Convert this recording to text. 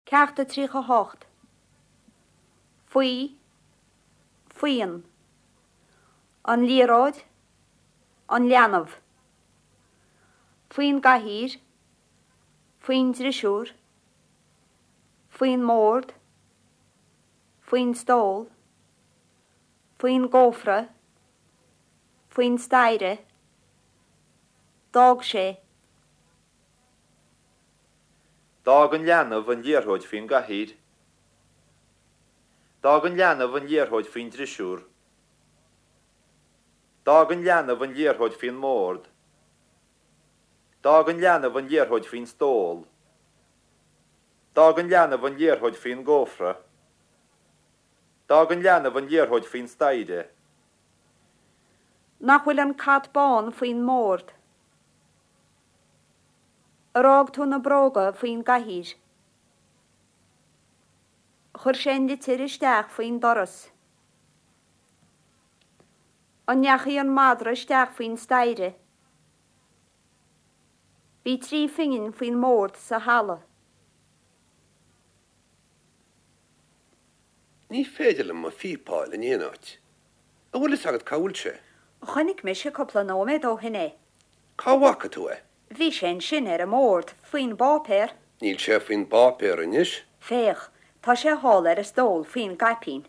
Ceacht a 38. Faoi, faoin. An liathróid, an leanbh. Faoin gcathaoir, faoin drisiúr, faoin mbord, faoin stól, faoin gcófra, faoin staighre, d'fhág sé. D'fhág an leanbh an liathróid faoin gcathaoir. D'fhág an leanbh an liathróid faoin drisiúr. D'fhág an leanbh an liathróid faoin mbord. D'fhág an leanbh an liathróid faoin stól. D'fhág an leanbh an liathróid faoin gcófra. D'fhág an leanbh an liathróid faoin staighre. Nach bhfuil an cat bán faoin mbord? Ar fhág tú na bróga faoin gcathaoir? Chuir sé an litir isteach faoin doras. An ndeachaigh an madra isteach faoin staighre? Bhí trí phingin faoin mbord sa halla. Ní féidir liom mo phíopa a fháil in aon áit. An bhfuil fhios agat cá bhfuil sé? Chonaic mise cúpla nóiméad ó shin é. Cá bhfaca tú é? Bhí sé ansin ar an mbord, faoin bpáipéar. Níl sé faoin bpáipéar anois. Féach, tá sé thall ar an stól, faoin gcaipín.